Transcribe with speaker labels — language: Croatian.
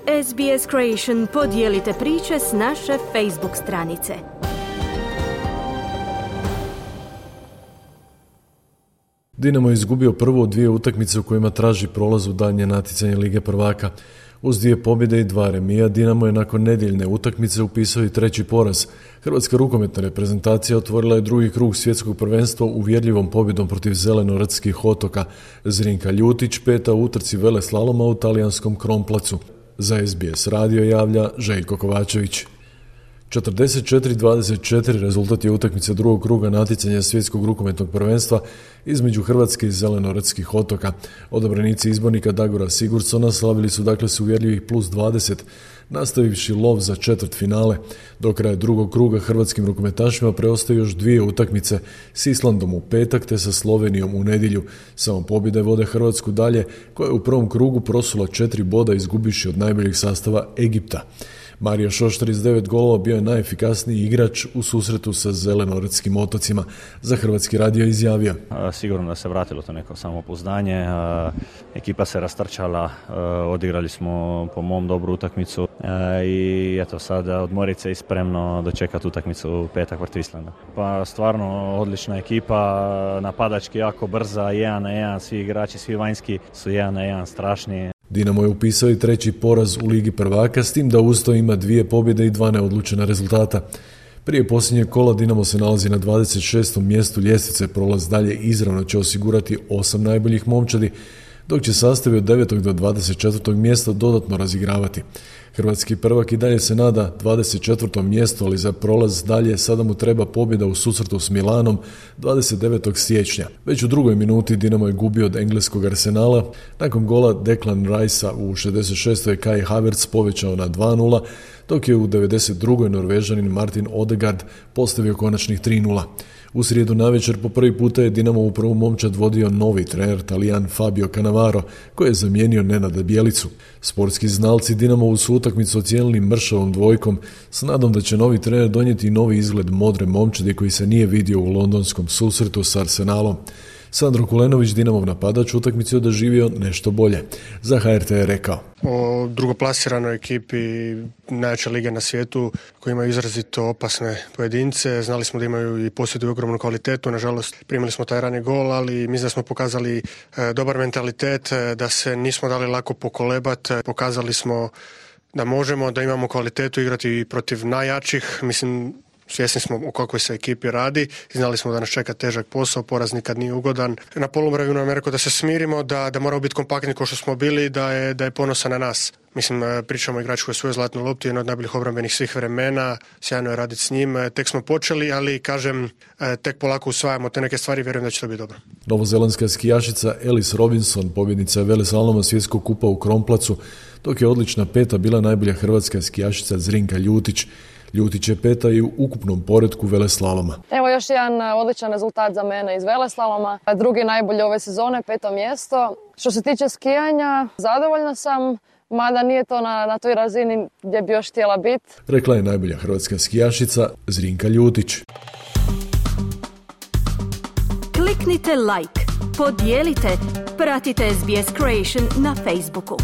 Speaker 1: SBS Creation, podijelite priče s naše Facebook stranice.
Speaker 2: Dinamo je izgubio prvo 2 utakmice u kojima traži prolaz u daljnje natjecanje Lige prvaka. Uz 2 pobjede i 2 remija, Dinamo je nakon nedjeljne utakmice upisao i 3. poraz. Hrvatska rukometna reprezentacija otvorila je 2. krug svjetskog prvenstva uvjerljivom pobjedom protiv Zelenorodskih otoka. Zrinka Ljutić 5. u utrci veleslaloma u talijanskom Kronplacu. Za SBS radio javlja Željko Kovačević. 44-24 rezultat je utakmice 2. kruga natjecanja svjetskog rukometnog prvenstva između Hrvatske i Zelenorodskih otoka. Odabranici izbornika Dagora Sigurdsona slavili su dakle s uvjerljivih +20, nastavivši lov za četvrtfinale. Do kraja 2. kruga hrvatskim rukometašima preostaju još 2 utakmice s Islandom u petak te sa Slovenijom u nedjelju. Samo pobjede vode Hrvatsku dalje, koja je u prvom krugu prosula 4 boda izgubivši od najboljeg sastava Egipta. Mario Šoštar iz 9 golova bio je najefikasniji igrač u susretu sa Zelenorodskim otocima. Za Hrvatski radio izjavio:
Speaker 3: Sigurno da se vratilo to neko samopouzdanje, ekipa se rastrčala, odigrali smo po mom dobru utakmicu i eto sad odmorit se i spremno dočekati utakmicu u petak protiv Islanda. Pa stvarno odlična ekipa, napadački jako brza, 1-1, svi igrači, svi vanjski su 1-1 strašni.
Speaker 2: Dinamo je upisao i 3. poraz u Ligi prvaka, s tim da uz to ima 2 pobjede i 2 neodlučena rezultata. Prije posljednjeg kola Dinamo se nalazi na 26. mjestu ljestvice, prolaz dalje izravno će osigurati 8 najboljih momčadi, dok će sastavi od 9. do 24. mjesta dodatno razigravati. Hrvatski prvak i dalje se nada 24. mjestu, ali za prolaz dalje sada mu treba pobjeda u susretu s Milanom 29. siječnja. Već u 2. minuti Dinamo je gubio od engleskog Arsenala. Nakon gola Declan Ricea u 66. je Kai Havertz povećao na 2-0, dok je u 92. Norvežanin Martin Odegaard postavio konačnih 3-0. U srijedu navečer po prvi puta je Dinamo u prvu momčad vodio novi trener Talijan Fabio Cannavaro, koji je zamijenio Nenada Bjelicu. Sportski znalci Dinamovu su utakmicu ocijenili mršavom dvojkom s nadom da će novi trener donijeti novi izgled modre momčadi koji se nije vidio u londonskom susretu s Arsenalom. Sandro Kulenović, Dinamov napadač, utakmicu je doživio nešto bolje. Za HRT je rekao:
Speaker 4: O drugoplasiranoj ekipi najjače lige na svijetu koji imaju izrazito opasne pojedince. Znali smo da imaju i posjeduju ogromnu kvalitetu. Nažalost, primili smo taj rani gol, ali mislim da smo pokazali dobar mentalitet, da se nismo dali lako pokolebati. Pokazali smo da možemo, da imamo kvalitetu igrati protiv najjačih. Mislim, svjesni smo o kakvoj se ekipi radi, znali smo da nas čeka težak posao, poraz nikad nije ugodan. Na poluvremenu nam je rekao da se smirimo, da moramo biti kompaktni kao što smo bili, da je ponosan na nas. Mislim, pričamo o igraču koji je svoju zlatnu loptu, jedan od najboljih obrambenih svih vremena, sjajno je raditi s njim. Tek smo počeli, ali kažem, tek polako usvajamo te neke stvari, vjerujem da će to biti dobro.
Speaker 2: Novozelandska skijašica Alice Robinson, pobjednica veleslaloma svjetskog kupa u Kronplacu, dok je odlična 5. bila najbolja hrvatska skijašica Zrinka Ljutić. Ljutić je 5. i u ukupnom poretku veleslaloma.
Speaker 5: Evo još jedan odličan rezultat za mene iz veleslaloma. Drugi najbolji ove sezone, 5. mjesto. Što se tiče skijanja, zadovoljna sam, mada nije to na toj razini gdje bi još htjela biti. Rekla
Speaker 2: je najbolja hrvatska skijašica Zrinka Ljutić.
Speaker 1: Kliknite like, podijelite, pratite SBS Creation na Facebooku.